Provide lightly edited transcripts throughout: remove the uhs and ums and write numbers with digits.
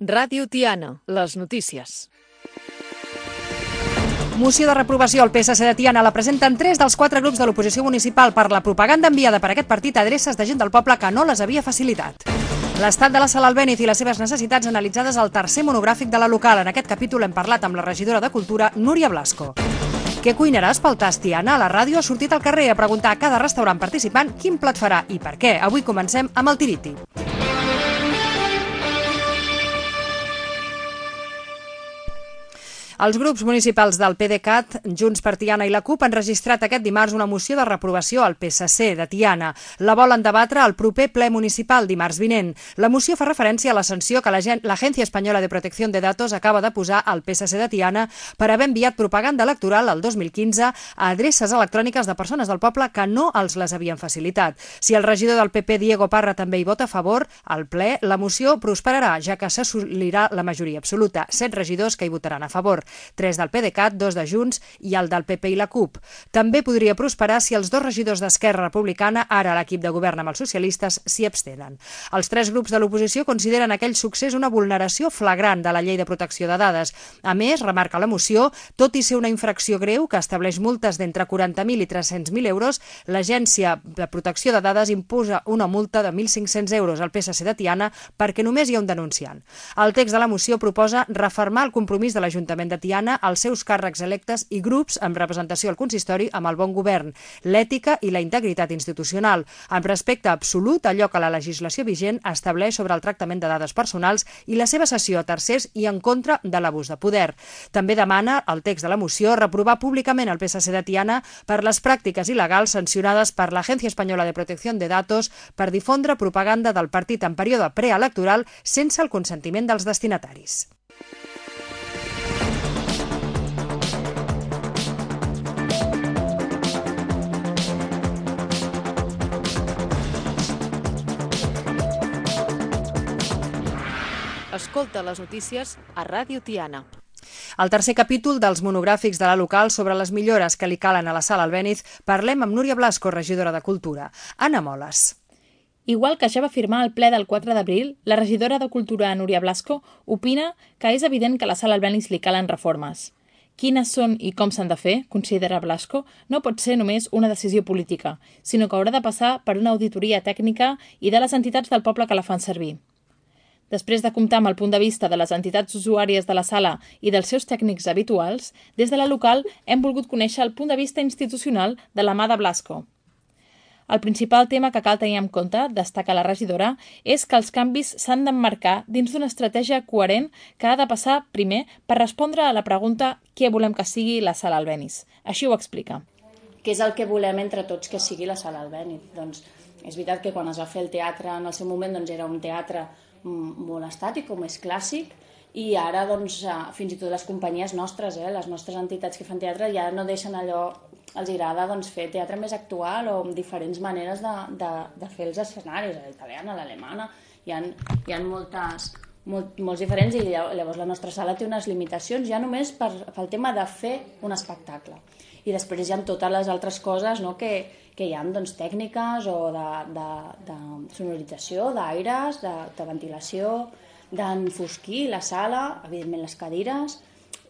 Ràdio Tiana, les notícies. Moció de reprovació al PSC de Tiana la presenten 3 dels 4 grups de l'oposició municipal per la propaganda enviada per aquest partit a adreces de gent del poble que no les havia facilitat. L'estat de la Sala Albéniz i les seves necessitats analitzades al tercer monogràfic de la local. En aquest capítol hem parlat amb la regidora de Cultura, Núria Blasco. Què cuinaràs pel tast Tiana? La ràdio ha sortit al carrer a preguntar a cada restaurant participant quin plat farà i per què. Avui comencem amb el tiriti. Els grups municipals del PDeCAT, Junts per Tiana i la CUP han registrat aquest dimarts una moció de reprovació al PSC de Tiana. La volen debatre al proper ple municipal dimarts vinent. La moció fa referència a la sanció que l'Agència Espanyola de Protección de Datos acaba de posar al PSC de Tiana per haver enviat propaganda electoral el 2015 a adreces electròniques de persones del poble que no els les havien facilitat. Si el regidor del PP, Diego Parra, també hi vota a favor, al ple la moció prosperarà, ja que s'assolirà la majoria absoluta. 7 regidors que hi votaran a favor. 3 del PDeCAT, 2 de Junts i el del PP i la CUP. També podria prosperar si els 2 regidors d'Esquerra Republicana, ara l'equip de govern amb els socialistes, s'hi abstenen. Els 3 grups de l'oposició consideren aquell succés una vulneració flagrant de la llei de protecció de dades. A més, remarca la moció, tot i ser una infracció greu que estableix multes d'entre 40.000 i 300.000 euros, l'Agència de Protecció de Dades imposa una multa de 1.500 euros al PSC de Tiana perquè només hi ha un denunciant. El text de la moció proposa refermar el compromís de l'Ajuntament de Tiana, els seus càrrecs electes i grups amb representació al consistori amb el bon govern, l'ètica i la integritat institucional, amb respecte absolut a allò que la legislació vigent estableix sobre el tractament de dades personals i la seva cessió a tercers i en contra de l'abús de poder. També demana, el text de la moció, reprovar públicament el PSC de Tiana per les pràctiques il·legals sancionades per l'Agència Espanyola de Protección de Datos per difondre propaganda del partit en període preelectoral sense el consentiment dels destinataris. Escolta les notícies a Ràdio Tiana. Al tercer capítol dels monogràfics de la local sobre les millores que li calen a la Sala Albéniz, parlem amb Núria Blasco, regidora de Cultura. Anna Moles. Igual que ja va afirmar al ple del 4 d'abril, la regidora de Cultura, Núria Blasco, opina que és evident que a la Sala Albéniz li calen reformes. Quines són i com s'han de fer, considera Blasco, no pot ser només una decisió política, sinó que haurà de passar per una auditoria tècnica i de les entitats del poble que la fan servir. Després de comptar amb el punt de vista de les entitats usuàries de la sala i dels seus tècnics habituals, des de la local hem volgut conèixer el punt de vista institucional de la mà de Blasco. El principal tema que cal tenir en compte, destaca la regidora, és que els canvis s'han d'emmarcar dins d'una estratègia coherent que ha de passar, primer, per respondre a la pregunta què volem que sigui la Sala Albéniz. Així ho explica. Què és el que volem entre tots que sigui la Sala Albéniz? Doncs és veritat que quan es va fer el teatre en el seu moment doncs era un teatre molt estàtic o més clàssic i ara doncs, fins i tot les companyies nostres, les nostres entitats que fan teatre ja no deixen allò, els agrada doncs, fer teatre més actual o amb diferents maneres de fer els escenaris, a l'italiana, a l'alemana, hi ha molts diferents i llavors la nostra sala té unes limitacions ja només pel tema de fer un espectacle. I després hi ha totes les altres coses que hi ha doncs, tècniques o de sonorització, d'aires, de ventilació, d'enfosquir la sala, evidentment les cadires,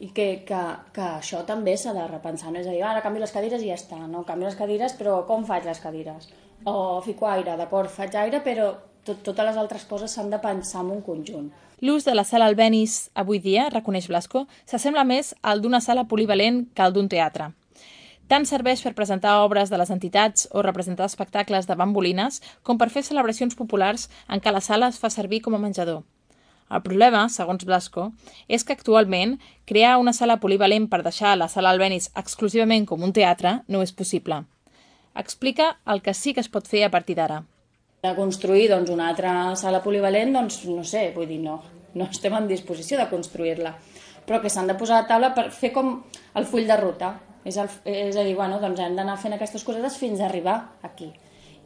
i que això també s'ha de repensar. No és a dir, ara canvio les cadires i ja està, no? Canvio les cadires, però com faig les cadires? O fico aire, d'acord, faig aire, però totes les altres coses s'han de pensar en un conjunt. L'ús de la Sala Albéniz avui dia, reconeix Blasco, s'assembla més al d'una sala polivalent que al d'un teatre. Tant serveix per presentar obres de les entitats o representar espectacles de bambolines com per fer celebracions populars en què la sala es fa servir com a menjador. El problema, segons Blasco, és que actualment crear una sala polivalent per deixar la Sala Albéniz exclusivament com un teatre no és possible. Explica el que sí que es pot fer a partir d'ara. De construir una altra sala polivalent, doncs no sé, vull dir, no estem en disposició de construir-la, però que s'han de posar a taula per fer com el full de ruta. És a dir, doncs hem d'anar fent aquestes cosetes fins a arribar aquí.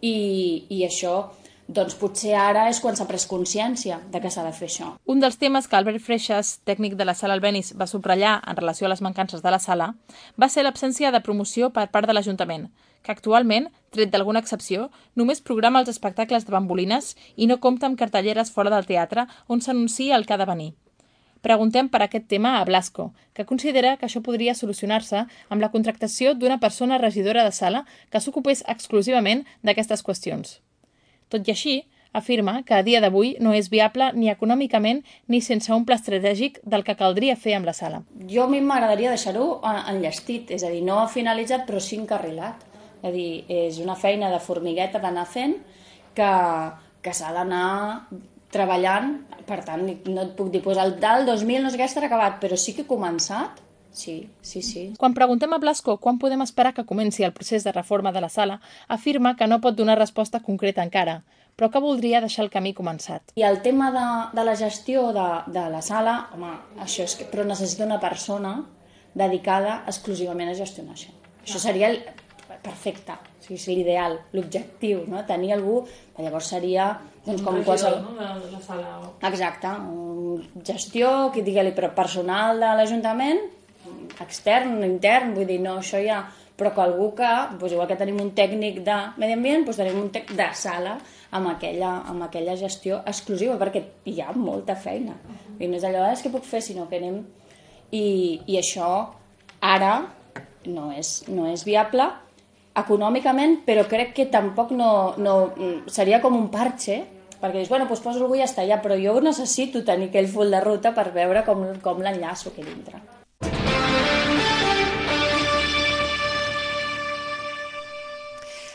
I això, doncs potser ara és quan s'ha pres consciència de que s'ha de fer això. Un dels temes que Albert Freixas, tècnic de la Sala Albéniz, va subratllar en relació a les mancances de la sala va ser l'absència de promoció per part de l'Ajuntament, que actualment, tret d'alguna excepció, només programa els espectacles de bambolines i no compta amb cartelleres fora del teatre on s'anuncia el que ha de venir. Preguntem per aquest tema a Blasco, que considera que això podria solucionar-se amb la contractació d'una persona regidora de sala que s'ocupés exclusivament d'aquestes qüestions. Tot i així, afirma que a dia d'avui no és viable ni econòmicament ni sense un pla estratègic del que caldria fer amb la sala. Jo a mi m'agradaria deixar-ho enllestit, és a dir, no finalitzat però sí encarrilat. És a dir, és una feina de formigueta d'anar fent que s'ha d'anar treballant, per tant, no et puc dir, doncs el del 2000 no sé què estarà acabat, però sí que he començat. Sí. Quan preguntem a Blasco quan podem esperar que comenci el procés de reforma de la sala, afirma que no pot donar resposta concreta encara, però que voldria deixar el camí començat. I el tema de la gestió de la sala, home, això és que, però necessita una persona dedicada exclusivament a gestionar això. Això seria perfecte, o sigui, és l'ideal, l'objectiu, no? Tenir algú, llavors seria doncs, com qualsevol... de la sala. Exacte, gestió, que digue-li, però personal de l'Ajuntament, extern, intern, vull dir, no, això ja... Però que algú que, doncs igual que tenim un tècnic de medi ambient, doncs tenim un tècnic de sala amb aquella gestió exclusiva, perquè hi ha molta feina. I no és allò, és que puc fer, sinó que anem... I això ara no és viable econòmicament, però crec que tampoc no seria com un parche, perquè dius, bueno, doncs poso algú i ja està, ja, però jo necessito tenir aquell full de ruta per veure com l'enllaço aquí dintre.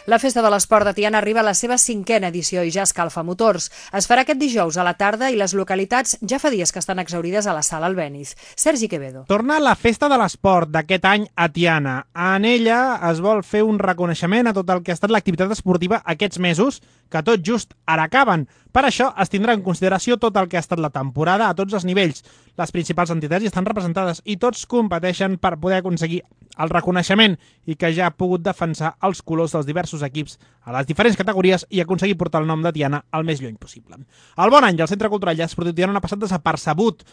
La Festa de l'Esport de Tiana arriba a la seva 5a edició i ja escalfa motors. Es farà aquest dijous a la tarda i les localitats ja fa dies que estan exhaurides a la sala Albéniz. Sergi Quevedo. Torna la Festa de l'Esport d'aquest any a Tiana. En ella es vol fer un reconeixement a tot el que ha estat l'activitat esportiva aquests mesos, que tot just ara acaben. Per això es tindrà en consideració tot el que ha estat la temporada a tots els nivells. Les principals entitats hi estan representades i tots competeixen per poder aconseguir el reconeixement i que ja ha pogut defensar els colors dels diversos equips a les diferents categories i aconseguir portar el nom de Tiana el més lluny possible. El bon any del Centre Cultural i Esportiu Tiana ha passat desapercebut.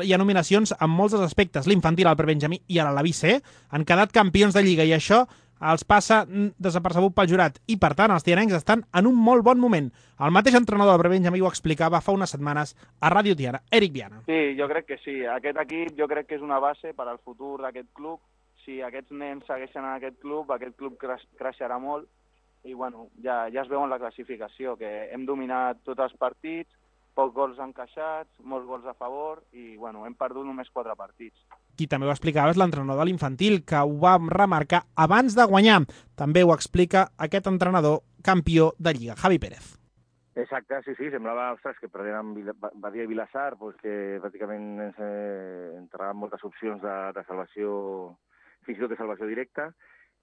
Hi ha nominacions en molts dels aspectes. L'infantil, el prebenjamí i ara l'Avi C han quedat campions de Lliga i això els passa desapercebut pel jurat i, per tant, els tianencs estan en un molt bon moment. El mateix entrenador del prebenjamí ho explicava fa unes setmanes a Ràdio Tiana, Eric Viana. Sí, jo crec que sí. Aquest equip jo crec que és una base per al futur d'aquest club. Si aquests nens segueixen en aquest club creixerà molt i bueno, ja es veu en la classificació que hem dominat tots els partits, pocs gols encaixats, molts gols a favor i bueno, hem perdut només 4 partits. Qui també ho explicava és l'entrenador de l'infantil, que ho va remarcar abans de guanyar. També ho explica aquest entrenador campió de Lliga, Javi Pérez. Exacte, sí, semblava, ostres, que perdent amb Badia i Vilassar, pues, que pràcticament ens entraven moltes opcions de salvació, fins i tot de salvació directa,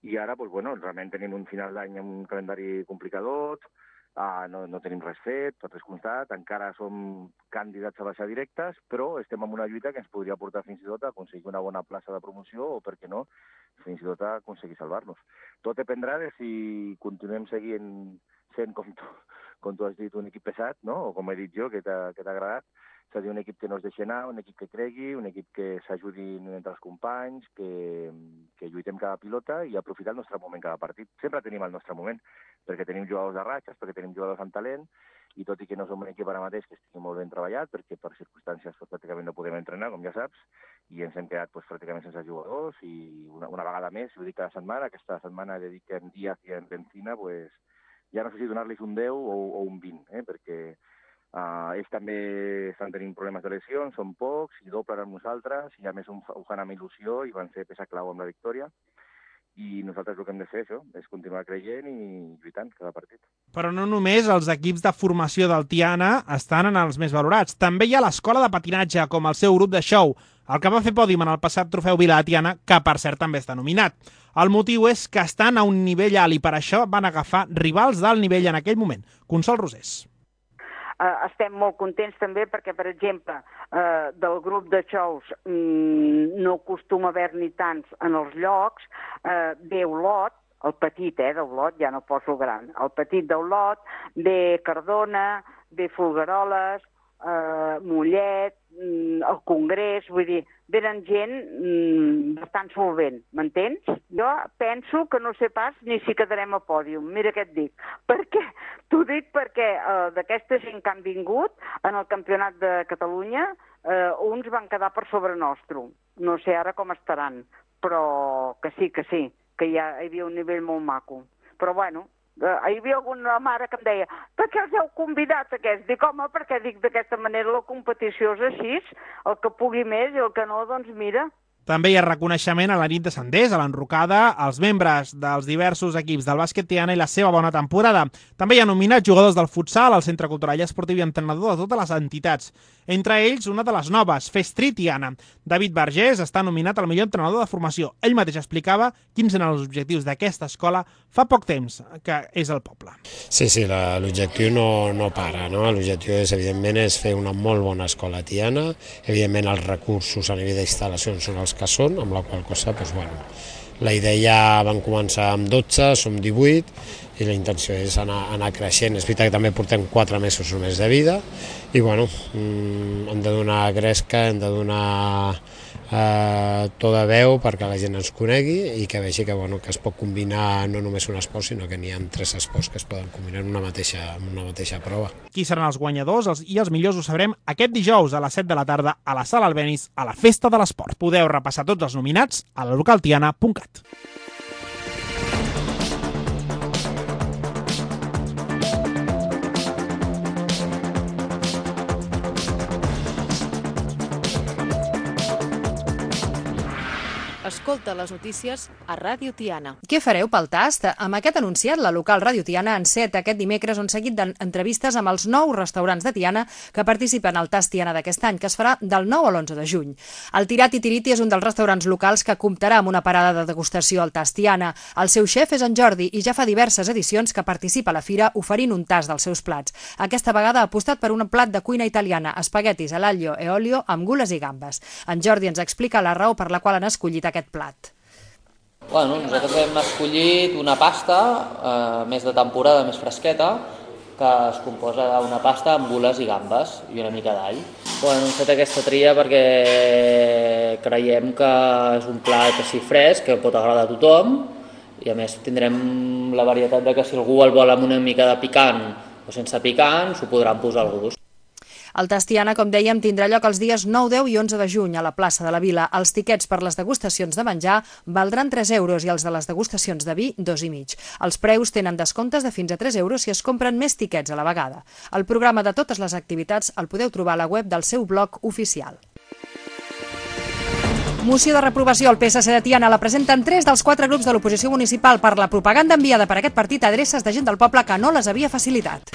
i ara, pues, bueno, realment tenim un final d'any amb un calendari complicadot, no tenim res fet, tot és constat, encara som candidats a baixar directes, però estem en una lluita que ens podria portar fins i tot a aconseguir una bona plaça de promoció o, per què no, fins i tot a aconseguir salvar-nos. Tot dependrà de si continuem seguint sent, com tu has dit, un equip pesat, no? O com he dit jo, que t'ha agradat, és a dir, un equip que no es deixi anar, un equip que cregui, un equip que s'ajudi entre els companys, que lluitem cada pilota i aprofitar el nostre moment cada partit. Sempre tenim el nostre moment, perquè tenim jugadors de ratxes, perquè tenim jugadors amb talent, i tot i que no som un equip ara mateix que estigui molt ben treballat, perquè per circumstàncies pràcticament no podem entrenar, com ja saps, i ens hem quedat pràcticament sense jugadors, i una vegada més, ho dic cada setmana, aquesta setmana he dit que en Díaz i en Benzina, ja no sé si donar-los un 10 o un 20, perquè ells també estan tenint problemes de lesions, són pocs, i doblen amb nosaltres, i a més ho fan amb il·lusió i van ser peça clau amb la victòria. I nosaltres el que hem de fer això és continuar creient i lluitant cada partit. Però no només els equips de formació del Tiana estan en els més valorats. També hi ha l'escola de patinatge, com el seu grup de show, el que va fer pòdium en el passat trofeu Vila de Tiana, que per cert també està nominat. El motiu és que estan a un nivell alt i per això van agafar rivals d'alt nivell en aquell moment. Consol Rosés. Estem molt contents també perquè, per exemple, del grup de shows no acostuma a haver-n'hi tants en els llocs, ve Olot, el petit d'Olot, ja no poso el gran, el petit d'Olot, ve Cardona, ve Folgueroles, Mollet, el Congrés, vull dir, venen gent bastant solvent, m'entens? Jo penso que no sé pas ni si quedarem a pòdium, mira què et dic. Per què? T'ho dic perquè d'aquesta gent que han vingut en el Campionat de Catalunya, uns van quedar per sobre nostre. No sé ara com estaran, però que sí, que hi havia un nivell molt maco. Però bueno, hi havia alguna mare que em deia per què els heu convidat aquests? Dic, home, perquè dic d'aquesta manera la competició és així, el que pugui més i el que no, doncs mira. També hi ha reconeixement a la nit de Senders, a l'enrocada, als membres dels diversos equips del bàsquet Tiana i la seva bona temporada. També hi ha nominats jugadors del futsal, al Centre Cultural i Esportiu i entrenador de totes les entitats. Entre ells, una de les noves, Festri Tiana. David Vergés està nominat al millor entrenador de formació. Ell mateix explicava quins eren els objectius d'aquesta escola fa poc temps, que és el poble. Sí, l'objectiu no para, no? L'objectiu evidentment, és fer una molt bona escola Tiana. Evidentment, els recursos a nivell d'instal·lacions són els que són, amb la qual cosa, la idea van començar amb 12, som 18, i la intenció és anar creixent. És veritat que també portem 4 mesos només de vida, i hem de donar gresca, hem de donar to de veu perquè la gent ens conegui i que vegi que es pot combinar no només un esport, sinó que n'hi ha 3 esports que es poden combinar en una mateixa prova. Qui seran els guanyadors i els millors ho sabrem aquest dijous a les 7 de la tarda a la Sala Albéniz a la Festa de l'Esport. Podeu repassar tots els nominats a lalocaltiana.cat. Escolta les notícies a Ràdio Tiana. Què fareu pel tast? Amb aquest anunciat, la local Ràdio Tiana enceta aquest dimecres un seguit d'entrevistes amb els 9 restaurants de Tiana que participen al Tast Tiana d'aquest any, que es farà del 9 a l'11 de juny. El Tirat i Tiriti és un dels restaurants locals que comptarà amb una parada de degustació al Tast Tiana. El seu xef és en Jordi i ja fa diverses edicions que participa a la fira oferint un tast dels seus plats. Aquesta vegada ha apostat per un plat de cuina italiana, espaguetis a l'aglio e olio amb gules i gambes. En Jordi ens explica la raó per la qual han escollit aquest plat. Nosaltres hem escollit una pasta més de temporada, més fresqueta, que es composa d'una pasta amb gules i gambes i una mica d'all. Hem fet aquesta tria perquè creiem que és un plat així fresc, que pot agradar a tothom, i a més tindrem la varietat de que si algú el vol amb una mica de picant o sense picant, s'ho podran posar al gust. El Tast Tiana, com dèiem, tindrà lloc els dies 9, 10 i 11 de juny a la plaça de la Vila. Els tiquets per les degustacions de menjar valdran 3 euros i els de les degustacions de vi 2,5. Els preus tenen descomptes de fins a 3 euros si es compren més tiquets a la vegada. El programa de totes les activitats el podeu trobar a la web del seu blog oficial. Moció de reprovació al PSC de Tiana la presenten 3 dels 4 grups de l'oposició municipal per la propaganda enviada per aquest partit a adreces de gent del poble que no les havia facilitat.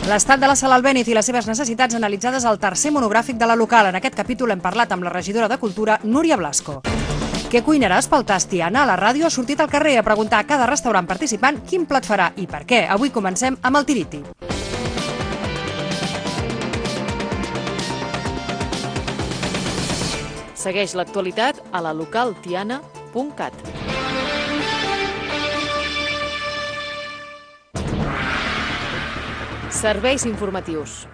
L'estat de la Sala Albéniz i les seves necessitats analitzades al tercer monogràfic de la local. En aquest capítol hem parlat amb la regidora de Cultura, Núria Blasco. Què cuinaràs pel Tast Tiana? La ràdio ha sortit al carrer a preguntar a cada restaurant participant quin plat farà i per què. Avui comencem amb el Tiriti. Segueix l'actualitat a la localtiana.cat. Serveis informatius.